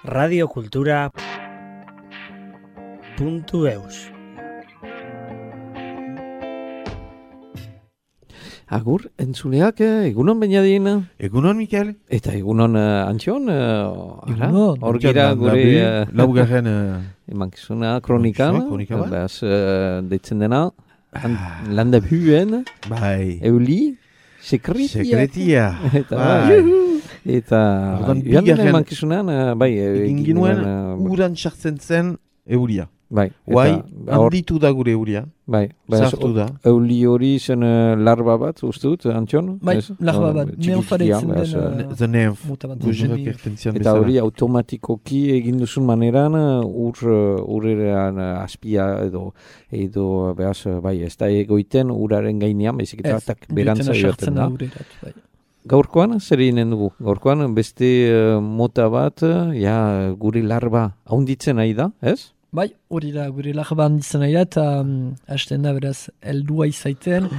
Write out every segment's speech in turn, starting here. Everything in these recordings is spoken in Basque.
radiokultura.eus. Agur, entzuleak, egunon Beñadin. Egunon, Mikel. Eta egunon Antxon. Hor gira Antxon, gure laugarren emankizuna kronikan. kronika bat. Beaz, deitzen dena. Landa huen. Bai. Euli. Sekretia. Eta, Bai. eta Orduan, joan den bigarren emankizunean, bai. Egin ginuen, uran sartzen zen euria. Bai. Guai, eta hor- handitu da gure euria. Bai. Beaz, Sartu da. Euli hori zen larba bat, uste dut, Antxon? Bai, Ez? larba bat, Txikitia, neonfareitzen beaz, den The Nymph. muta bat. Gojerak ertentzian Eta bezala. hori automatikoki egin duzun maneran urrean azpia edo behaz, bai, ez da egoiten uraren gainean, bezik eta tak berantza joaten da. Bai. Gaurkoan, zer eginen dugu? Gaurkoan beste mota bat, ja, gure larba haunditzen nahi da, ez? Bai, hori da, gure larba handitzen nahi da, eta hasten da beraz, heldua izaiten,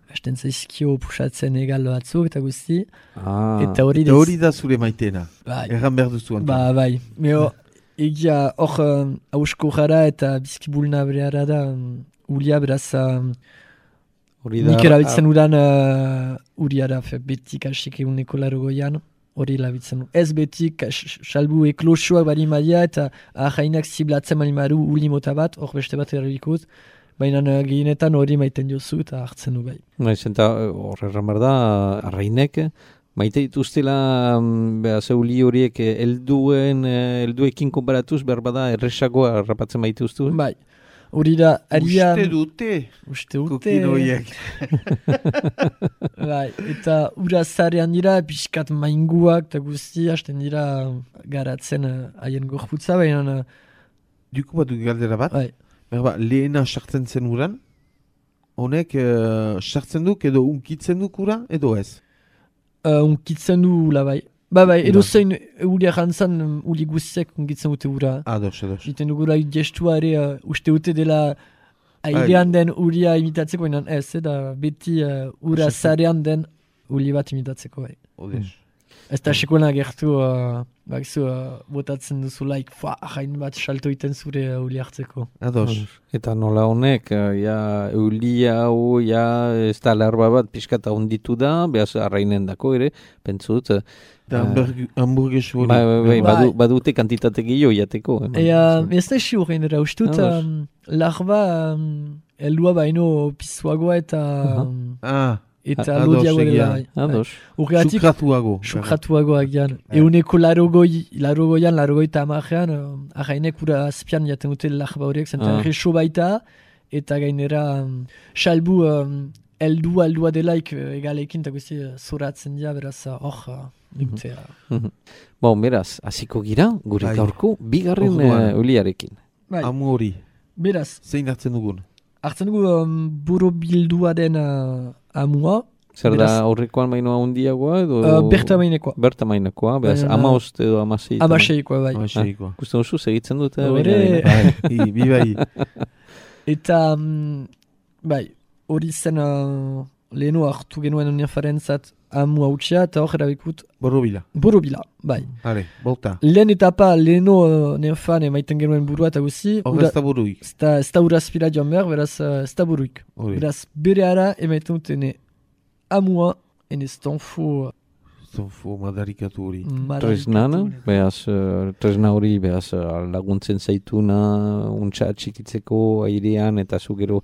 hasten zaizkio pusatzen egal batzuk, eta guzti, eta hori Eta hori da zure maitena. bai, Erran behar duzu Anton. bai, meo, egia hor hausko gara eta bizkibulna bereara da, ulia beraz, Hori da. nik erabiltzen udan uriara, betik hasik eguneko larogoian, hori labitzen. Ez betik, salbu eklosioak bari madia eta ahainak ziblatzen bali maru uli mota bat, hor beste bat erabikut, baina gehienetan hori maiten jozu eta hartzen du bai. Naiz, eta hor erran behar da, arrainek, maite dituztela behaz euli horiek helduekin konparatuz, behar bada erresagoa rapatzen maituztu. Bai, hori da, arian... Uste dute. Kokinoiek. Bai, eta ura zarean dira, pixkat mainguak eta guzti, hasten dira garatzen haien gorputza, baina... Duko bat galdera bat. Bai. Berba, lehena sartzen zen uran, honek sartzen duk edo unkitzen duk ura edo ez? Unkitzen du ula bai. Bai, edo zein ulia jantzan uli guztiak unkitzen dute ura. Ados. Iten dugula gestua ere uste dute dela airean den ulia imitatzeko, baina ez, da beti ura zarean den uli bat imitatzeko bai. Odes. Ez da sekoena gertu, botatzen duzulaik, jain bat salto iten zure uli hartzeko. Ados. Eta nola honek, ja, eulia hau, ja, ez da larba bat pixkata honditu da, behaz arrainen dako ere, pentsut. Da hamburgues hori. Bai, badute kantitate gehiago jateko. Ez da esi horrein dira, ustut, larba heldua baino pisuagoa eta lodiagoa dela. Ados. Urreatik, sukratuagoak jan. Euneko larogoita amajean, ahainek ura azpian jaten dute larba horiek, zentan reso baita, eta gainera salbu heldua delaik egalekin, eta guzti zoratzen dira, beraz hor dutea. Bon, beraz, hasiko gira, gure gaurko, bigarren uliarekin. Amu hori. Beraz. Zein hartzen dugun? Hartzen dugu borobilduaren amua. Zer da horrekoan mainoa hundiagoa edo? Berta mainekoa. Berta mainekoa, beraz, amaost edo amaseikoa. Amaseikoa, bai. Kusten duzu, segitzen dute? Bai. Eta, bai, hori zen lehenu hartu genuen uniafarentzat amu hautsia, eta hor erabikut... Borobila, bai. Hale, bolta. Lehen etapa, lehenu neofan emaiten genuen burua eta guzi... Hor ez da buruik. Ez da urazpira joan behar, beraz ez da buruik. Beraz, bere ara emaiten dutene amua, enez tonfo... Tonfo madarikatu hori. Tresna hori, behaz, laguntzen zaituna, untsa txikitzeko airean, eta zu gero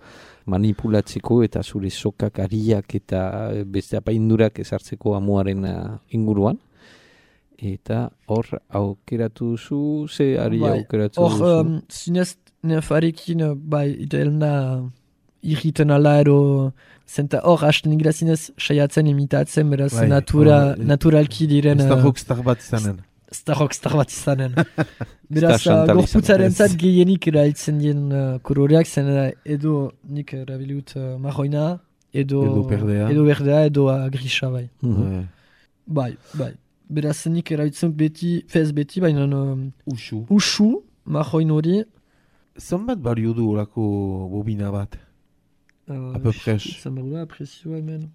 manipulatzeko, eta zure sokak ariak eta beste apaindurak ezartzeko amuaren inguruan. Eta hor aukeratu duzu, ze ari aukeratu duzu? Hor, zinez nefarekin, bai, itelna irriten ala ero... Zenta hor, hasten gira zinez saiatzen imitatzen, beraz naturalki diren... Ez da rockstar bat izanen. Beraz, gorputzaren zat gehienik erailtzen dien koloreak, zen edo nik erabiliut marroina, edo berdea, edo grisa, bai. Bai. Beraz, nik erabiltzen beti, baina usu, marroin hori. Zanbat bario du horako bobina bat? A peu près. Zanbarua, presioa hemen.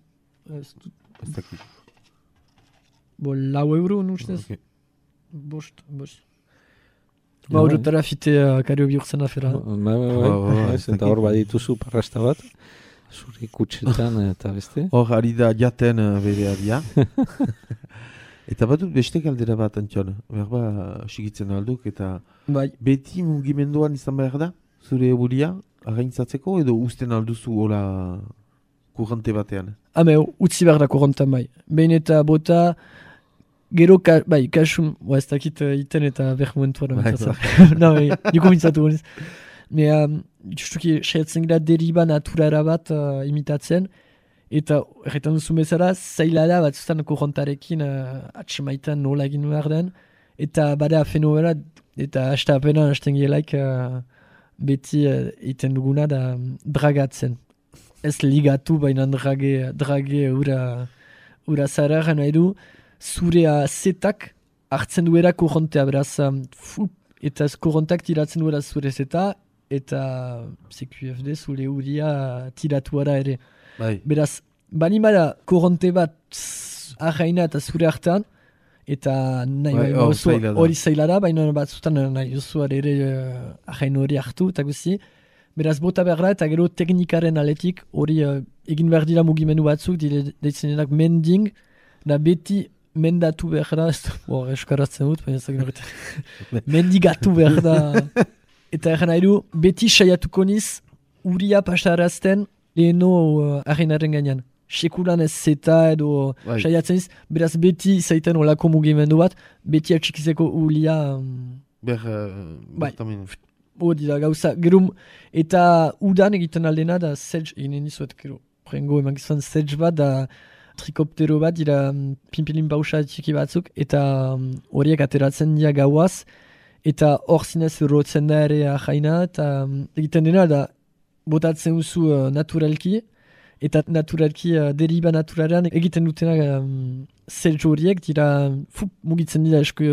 Ez dakit. Bo, €4 nustez. Bost. Ba, horretara fite kario bihurtzen afera. Eta hor badituzu parrasta bat, zure kutsetan eta beste. Hor, ari da jaten bere adia. Eta badut beste galdera bat, Antxon. Berba, sigitzen alduk, eta bai. Beti mugimenduan izan behar da? Zure buria, againtzatzeko, edo usten alduzu hola kurrante batean? Utzi behar da kurrantan bai. Behin eta bota, gero, kasun, ez dakit iten eta behar momentuan. Niko mintzatu goniz. Justuki, saiatzen gira deriba naturara bat imitatzen, eta erretan duzu bezala, zaila da bat zuztan kurrantarekin atsemaitan nola egin behar den, eta bada fenomena, eta hasta apena hasten gielaik beti iten duguna da dragatzen. Ez ligatu baina drage ura zara gana edu, zure zetak hartzen duera kurrontea, beraz, eta kurrontak tiratzen duera zure zeta, eta CQFD zure uria tiratuara ere. Bai. Beraz, bani bada kurronte bat ahaina eta zure hartan, eta nahi hori zaila da, baina batzutan nahi duzuar ere ahain hori hartu, eta guzi. Beraz, bota behar da, eta gero teknikaren aletik hori egin behar dira mugimendu batzuk, deitzen denak mending, da beti mendatu behar da, eskaratzen dut, baina zagin horretan, mendigatu behar da. Eta egan nahi du, beti saiatuko niz, uria pasarazten leheno ahainaren gainean. Sekulan ez zeta edo saiatzen niz, beraz beti zaiten olako mugimendu bat, beti atxikizeko ulia... Hori da gauza, gero, eta udan egiten aldena da sedge, eginen nizuet, gero, prengo eman gizan sedge bat, da trikoptero bat, dira pimpilin bausa txiki batzuk, eta horiek ateratzen dira gauaz, eta hor zinez rotzen da ere jaina, eta egiten dena da botatzen duzu naturalki, eta naturalki deriba naturalean egiten dutena sedge horiek, dira mugitzen dira esku,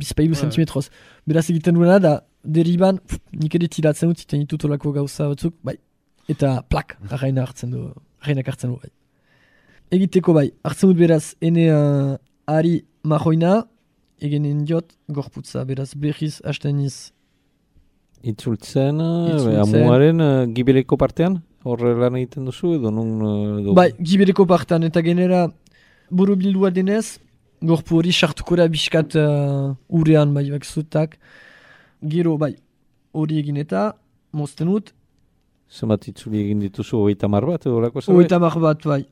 bizpailu sentimetroz. Beraz egiten duena da, deriban, nik ere tiratzen dut, iten ditut olako gauza batzuk, bai. Eta plak, arrainak hartzen du, bai. Egiteko bai, hartzen dut beraz, ene ari mahoina, egenen diot, gorputza, beraz berriz hasten niz. Itzultzen, amuaren gibeleko partean, horre lan egiten duzu, edo nun... Bai, gibeleko partean, eta genera buru bildua denez, gorpu hori sartuko da biskat urean, bai, bakzutak. Gero, bai, hori egin eta, mozten dut. Zemat itzuli egin dituzu, 30 bat, edo lako zerbait? 30 bat, bai.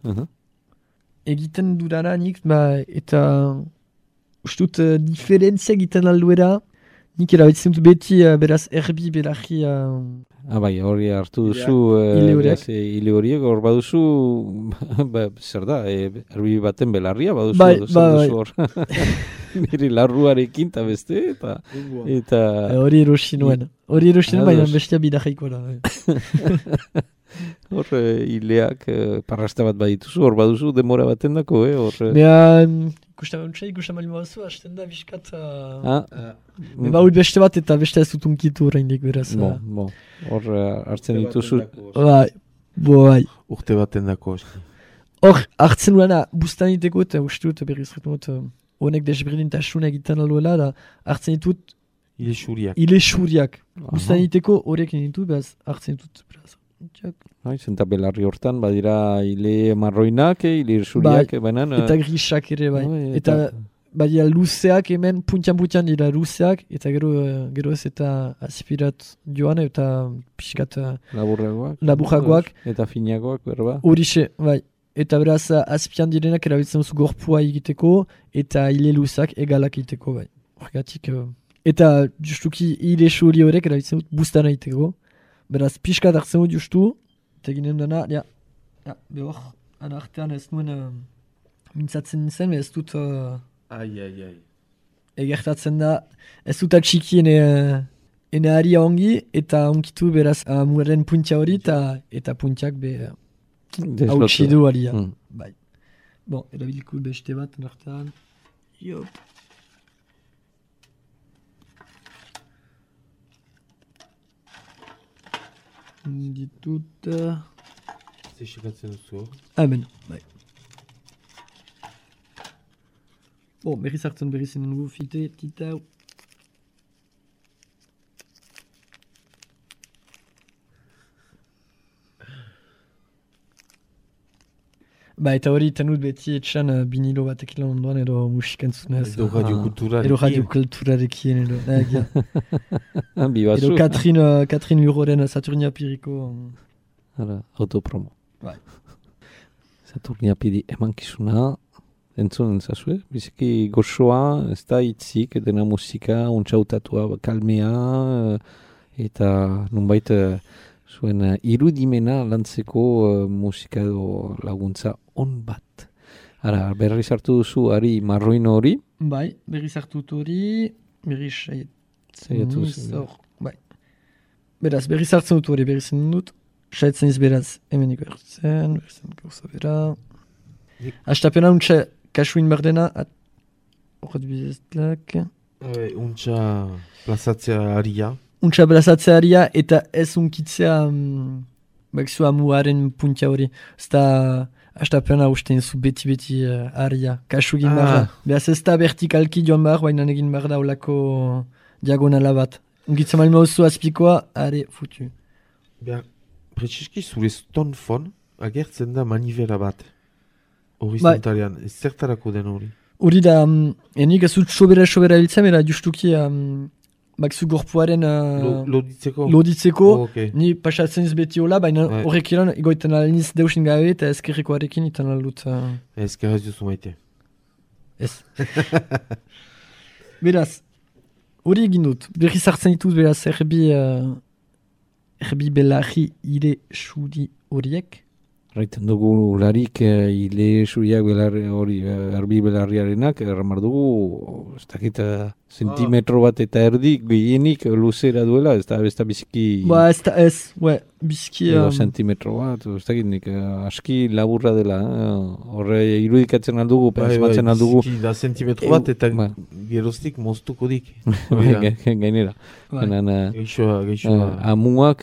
Egiten dudana nik, bai, eta ustut diferentzia egiten alduera, nik erabitzen dut beti, beraz, erbi belarri... bai, hori hartu duzu, hile horiek, hor baduzu, zer da, erbi baten belarria baduzu, bai. Hor. Nire larruarekin eta beste, eta... Hori erosi nuen, baina bestia bidajaiko da. Hor, hileak parrasta bat badituzu, hor baduzu demora baten dako, Ikusten bali baduzu, hasten da biskat... Baut beste bat eta beste ez dut unkitu horreindik beraz. Hor hartzen dituzu... Bai. Urte baten dako. Hor, hartzen duena, bustan diteko eta uste dut berriz retmot... Honek desberdintasuna egiten alduela, da hartzen ditut... Ile xuriak. Bustan diteko horiek ditut, behaz hartzen ditut. Zenta belarri hortan, badira ile marroinak, ile xuriak, bainan... Eta grisak ere, bai. Eta badira luzeak hemen, puntian dira luzeak, eta gero ez eta aspirat joan, eta pixkat... Laburragoak. Eta finagoak, berba. Horixe, bai. Eta beraz, azpian direnak erabiltzen duzu gorpua egiteko, eta hile luzak egalak egiteko, bai. Horregatik, eta justuki hile xuri horrek erabiltzen dut bustana egiteko. Beraz, pixkat hartzen dut justu, eta ginen dena, behor, anartean ez nuen mintzatzen nintzen, ez dut... Egertatzen da, ez dut atxiki ene haria ongi, eta onkitu beraz muaren puntia hori, eta puntiak hautsi du alia. Bai. Bon, erabiliko beste bat, nartan. Jop. Ditut... Zexikatzen duzu. Amen, bai. Bon, berriz hartzen berriz enen gu fite, titau. Ba, eta hori tenut beti etxan binilo batek ilan ondoan edo musikantzunez. Edo radiokulturarekin. Edo radiokulturarekin edo. Bibazu. Edo Katrin Uroren Saturnia Piriko. Autopromo. Bai. Saturnia Piri emankizuna, entzun zazue, biziki gozoa, ez da hitzik, dena musika, untxautatua, kalmea, eta nunbait zuen irudimena lantzeko musika edo laguntza on bat. Ara, berriz hartu duzu ari marroino hori? Bai, berriz hartu dut hori, berriz saiatu duzu. Bai. Beraz, berriz hartzen dut hori, berriz dut. Saitzen iz beraz, hemeniko ertzen, berrizen gauza bera. Astapena untxa kasuin berdena, horret bizestlak. Untxa plazatzea aria. Untxa plazatzearia eta ez unkitzea bakzu amuaren puntia hori. Ez da astapena ustein zu beti aria, kasu egin barra. Beraz ez da vertikalki joan behar, baina egin behar da olako diagonala bat. Unkitzen malma oso azpikoa, are futu. Beha, pretxiski zure stonfon agertzen da manivela bat. Horizontalian, ez zertarako den hori? Hori da, enik ez dut sobera biltzen, era justuki bakzu gorpuaren loditzeko, ni pasatzen ez beti hola, baina horrek iran egoiten aliniz deusin gabe eta ezkerrikoarekin itan aldut. Ezkerraz duzu maite. Ez. Beraz, hori egin dut, berriz hartzen dituz beraz erbi belarri ire suri horiek. Raiten dugu larik ile suriak erbi belarriarenak, erramar dugu, ez dakit zentimetro bat eta erdi gehienik luzera duela, ez da biziki... Ba, ez, biziki... Edo zentimetro bat, ez dakit nik aski laburra dela, horre irudikatzen aldugu, pentsmatzen aldugu... Biziki da zentimetro bat eta geroztik moztuko dik. Gainera. Geixoa. Amuak,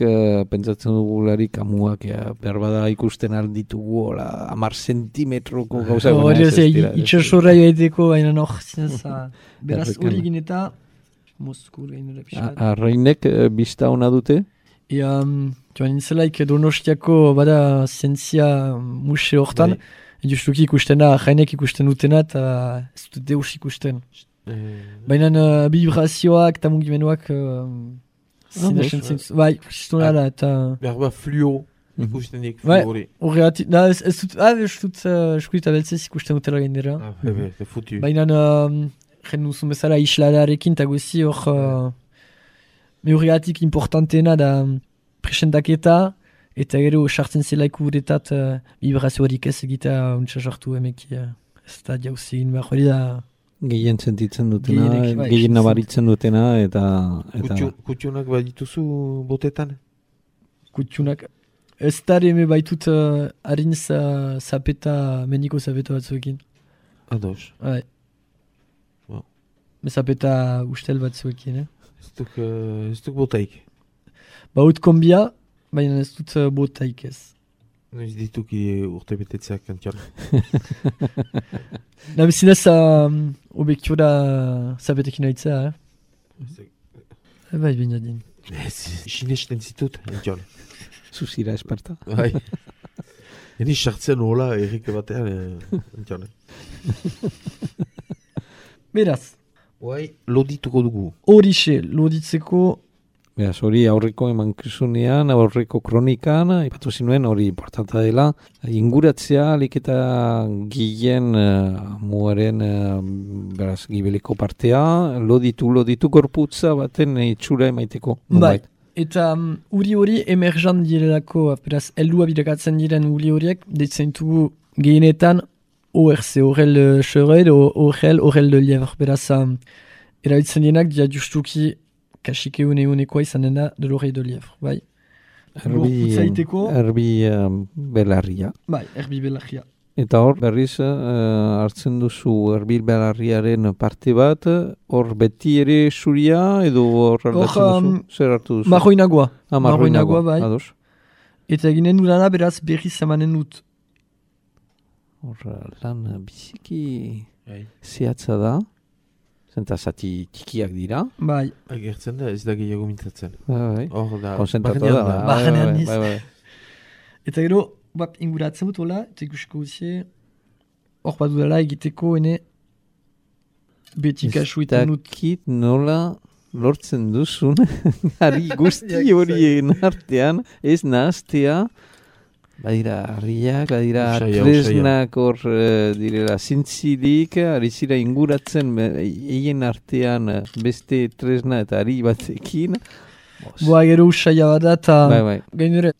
pentsatzen dugu larik, amuak berbada ikusten alditugu, 10 zentimetroko gauza. Hori itxasorra joaiteko, baina beraz hori egin eta Mosku gainera pixat. Arrainek bista ona dute? Joan nintzelaik Donostiako bada zientzia museo hortan, justuki ikusten da, jainek ikusten dutena eta ez dut deus ikusten. Baina vibrazioak eta mugimenduak zinesen zintzen. Bai, ikusten da eta... Berba fluo ikusten dik fluori. Horregatik, ez dut eskuita beltzez ikusten dutela gainera. Futu. Baina jen duzun bezala isladarekin eta guzi hor horregatik importanteena da presentaketa eta gero sartzen zelaik uretat vibrazioarik ez egita untsa sartu emeki ez da jauzi egin behar hori da gehien sentitzen dutena, gehien nabaritzen dutena eta... Kutxunak badituzu botetan? Kutxunak... Ez da eme baitut harin zapeta, meniko zapeta batzuekin. Ados. Bai. Zapeta ustel batzuekin, Ez duk botaik? Baut kombia, baina ez dut botaik ez. Ez dituk urte betetzeak kantian. Nabezinez obekio da zapetekin haitzea, Bai, baina din. Sinesten zitut, kantian. Zuzira esparta. Bai. Eni sartzen hola errike batean, kantian. Beraz. Bai, lodituko dugu. Horixe, loditzeko... Beraz, hori aurreko emankizunean, aurreko kronikan, ipatu zinuen hori importanta dela. Inguratzea, alik eta gien muaren beraz, gibeleko partea, loditu gorputza baten itxura emaiteko. Bai, eta hori emerjan direlako, beraz, heldua birakatzen diren horiek, deitzen dugu gehienetan, ORC, Orel Chevreuil, Orel de Lièvre. Beraz, erabiltzen dienak, dia justuki kasike unekoa izanen da de l'oreille de Lièvre, bai? Erbi belarria. Bai, erbi belarria. Eta hor, berriz, hartzen duzu erbi belarriaren parte bat, hor beti ere zuria, edo hor aldatzen duzu? Zer hartu duzu? Marroinagoa. Marroinagoa, bai. Ados. Eta eginen dudana, beraz, berriz emanen dut. Hor, lan biziki zehatza da. Zenta zati tikiak dira. Bai. Agertzen da, ez da gehiago mintzatzen. Bai. Hor da, konzentratu da. Barrenean niz. Bai. Eta gero, inguratzen dut, hola, eta ikusiko guzie, hor bat dudala egiteko, ene, beti kasu iten dut. Dakit nola lortzen duzun, ari guzti horien artean, ez nahaztea, badira harriak, badira tresnak hor direla zintzilik, ari zira inguratzen eien artean beste tresna eta ari batekin. Boa, gero usaila bat da, Bai. gainure,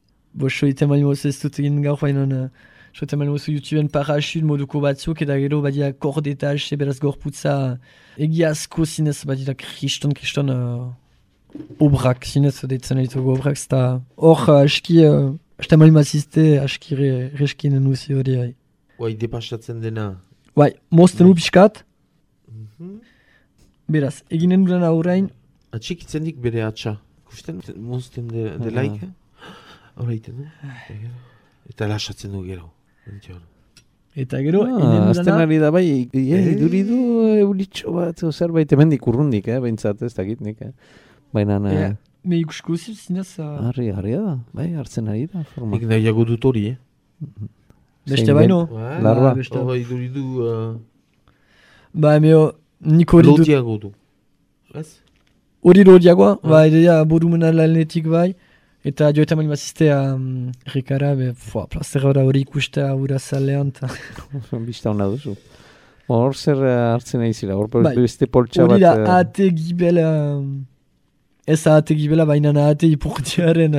soiten bali moz ez dut egin gaur, baina soiten bali moz YouTubeen parachut moduko batzuk, eta gero badira kordetaz, beraz gorputza egiazko zinez, badira kriston obrak, zinez deitzen ditugu obrak, eta hor aski, Aste mali mazizte, aski reskinen nuzi hori. Bai, depasatzen dena. Bai, mozten upiskat. Beraz, eginen duena horrein. Atxikitzen dik bere atxa. Kusten, mozten delaik. Horreiten du. Eta lasatzen du gero. Eta gero, azten ari da bai, iduridu eulitxo bat, zerbait hemendik urrundik, behintzat ez dakit nik. Baina... Me ikusko zinez... Harri da, bai, hartzen ari da. Nik nahiago dut hori, Beste baino? Larba. Hori duridu... Ba, nik hori dut... Lotiago du. Ez? Hori lodiagoa, ba, edea borumena lanetik bai. Eta joetan mani maziztea Rikara, plazera hori ikustea hura zalean. Bista hona duzu. Hor zer hartzen ari zira, hor beste poltsa bat... Hori da, ate gibela... Ez ahate gibela, baina ahate ipurdiaren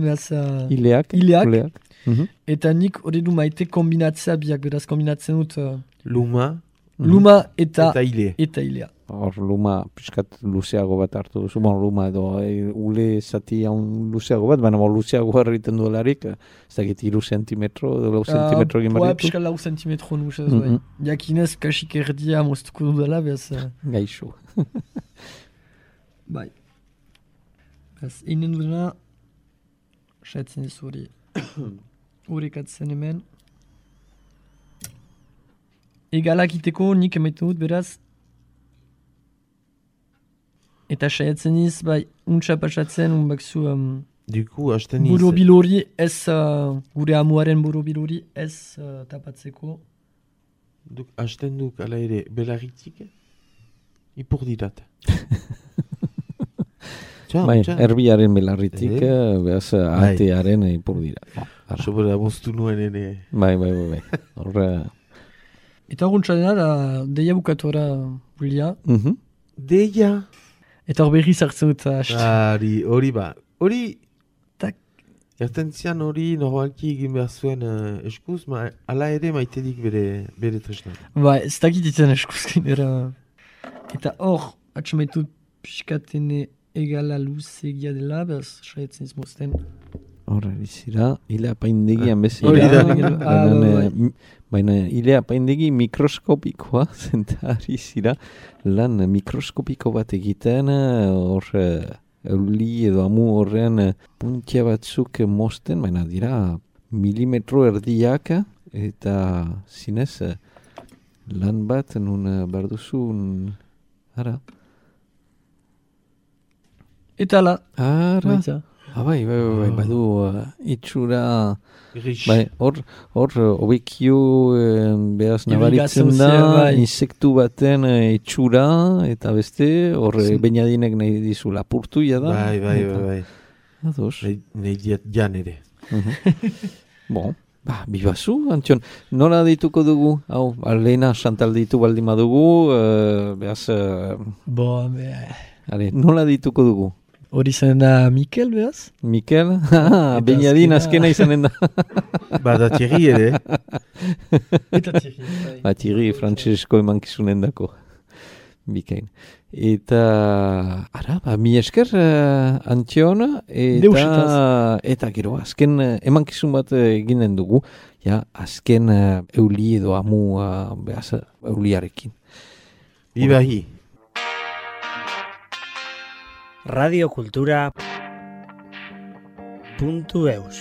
behaz... Ileak. Eta nik hori du maite kombinatzea biak, beraz kombinatzen dut... Luma eta ile. Eta ilea. Hor luma piskat luzeago bat hartu duzu, luma edo ule zati haun luzeago bat, baina luzeago harriten duelarik, ez dakit 3 centimetro edo 4 centimetro egin barritu. Piskat 4 centimetro nusaz bai. Jakinez kasik erdia moztuko dudala, behaz... Gaixo. Bai. Ez, inen duena, saiatzen ez hori. Horrekatzen hemen. Egalak iteko nik emaiten dut beraz. Eta saiatzen ez, bai, untsa pasatzen, unbakzu... Duku, hasten iz... Borobil hori ez, gure amuaren borobil hori ez tapatzeko. Hasten duk, ala ere, belarritzik, ipur dirat. Bai, erbiaren belarritik, behaz, atearen ipur dira. Sobera moztu nuen ere. Bai. Horre... Eta horrentza dena, deia bukatora bulia. Deia? Eta hor berri zartzen dut. Hori ba. Hori... Ertentzian hori normalki egin behar zuen eskuz, ala ere maitedik bere tresna. Bai, ez dakit ditzen eskuzkin era. Eta hor, atxamaitut piskatene egala luzegia dela, behaz, saietzen izmozten. Horra, izira, ile apaindegian bezala. Baina ile apaindegi mikroskopikoa, zentari zira, lan mikroskopiko bat egiten, hor, euli edo amu horrean puntia batzuk mozten, baina dira milimetro erdiak, eta zinez, lan bat, nun barduzun, ara. Eta ala. Ara. Bai, badu itxura, bai, hor, obekio behaz nabaritzen da, insektu baten itxura, eta beste, hor bainadinek nahi dizu lapurtu da. Bai. Ados. Nahi diat jan ere. Bon, bibazu, Antion, nola dituko dugu? Hau, lehena Chantal ditu baldin badugu, behaz... nola dituko dugu? Hori zanen da Mikel, behaz? Mikel? Bainadin azkena izanen da. Da Thierry ere. Eta Thierry. Thierry, Francesco emankizunen dako. Bikain. Eta, mi esker, Antion, eta gero, azken emankizun bat eginen dugu, azken euli edo amu, behaz, euliarekin. Ibahi. radiokultura.eus